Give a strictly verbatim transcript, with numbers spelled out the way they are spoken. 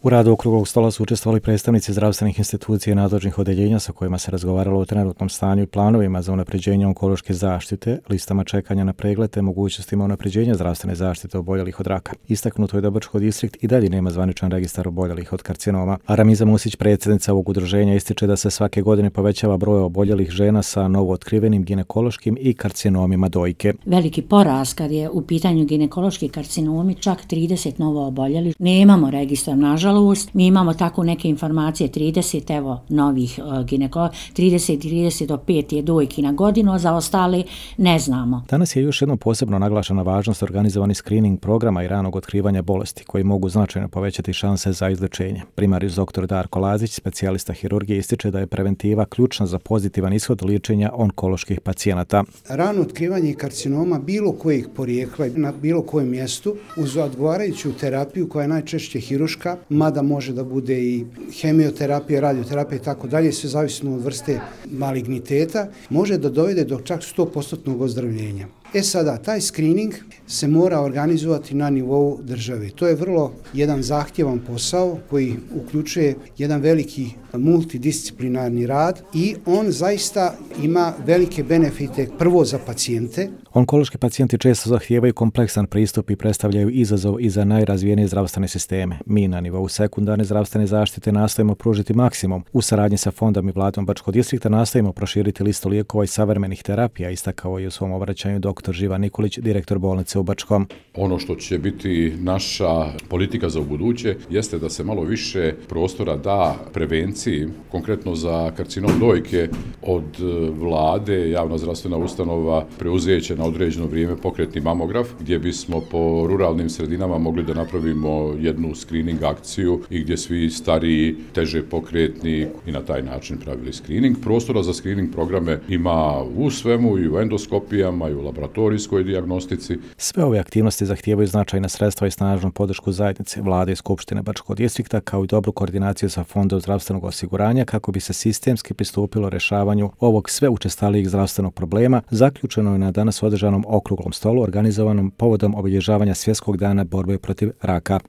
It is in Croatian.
U radu okruglog stola su učestvovali predstavnici zdravstvenih institucija i nadležnih odeljenja sa kojima se razgovaralo o trenutnom stanju i planovima za unapređenje onkološke zaštite, listama čekanja na pregled te mogućnostima unapređenja zdravstvene zaštite oboljelih od raka. Istaknuto je da Brčko distrikt i dalje nema zvaničan registar oboljelih od karcinoma, a Ramiza Musić, predsjednica ovog udruženja, ističe da se svake godine povećava broj oboljelih žena sa novootkrivenim ginekološkim i karcinomima dojke. Veliki porast kad je u pitanju ginekološki karcinomi, čak trideset novo oboljelih. Nemamo registar, nažalost. Mi imamo tako neke informacije, trideset evo novih uh, ginekologa, trideset trideset do pet je dojki na godinu, a za ostale ne znamo. Danas je još jednom posebno naglašena važnost organizovani screening programa i ranog otkrivanja bolesti koji mogu značajno povećati šanse za izlječenje. Primarijus doktor Darko Lazić, specijalista hirurgije, ističe da je preventiva ključna za pozitivan ishod liječenja onkoloških pacijenata. Rano otkrivanje karcinoma bilo kojeg porijekla na bilo kojem mjestu uz odgovarajuću terapiju koja je najčešće hiruška, mada može da bude i hemioterapija, radioterapija i tako dalje, sve zavisno od vrste maligniteta, može da dovede do čak sto posto ozdravljenja. E sada, taj screening se mora organizovati na nivou države. To je vrlo jedan zahtjevan posao koji uključuje jedan veliki multidisciplinarni rad i on zaista ima velike benefite prvo za pacijente. Onkološki pacijenti često zahtijevaju kompleksan pristup i predstavljaju izazov i za najrazvijenije zdravstvene sisteme. Mi na nivou sekundarne zdravstvene zaštite nastojimo pružiti maksimum. U saradnji sa fondom i vladom Brčkog distrikta nastojimo proširiti listu lijekova i savremenih terapija, istakao je u svom obraćanju doktor Živan Nikolić, direktor bolnice u Brčkom. Ono što će biti naša politika za ubuduće jeste da se malo više prostora da prevenciji, konkretno za karcinom dojke od vlade, javna zdravstvena ustanova preuzeće na određeno vrijeme pokretni mamograf, gdje bismo po ruralnim sredinama mogli da napravimo jednu screening akciju i gdje svi stariji, teže pokretni i na taj način pravili screening. Prostora za screening programe ima u svemu, i u endoskopijama, i u laboratorijskoj dijagnostici. Sve ove aktivnosti zahtijevaju značajna sredstva i snažnu podršku zajednice, vlade i Skupštine Brčkog distrikta, kao i dobru koordinaciju sa Fondom zdravstvenog osiguranja kako bi se sistemski pristupilo rješavanju ovog sve učestalijeg zdravstvenog problema, zaključeno je na danas održanom okruglom stolu organizovanom povodom obilježavanja Svjetskog dana borbe protiv raka.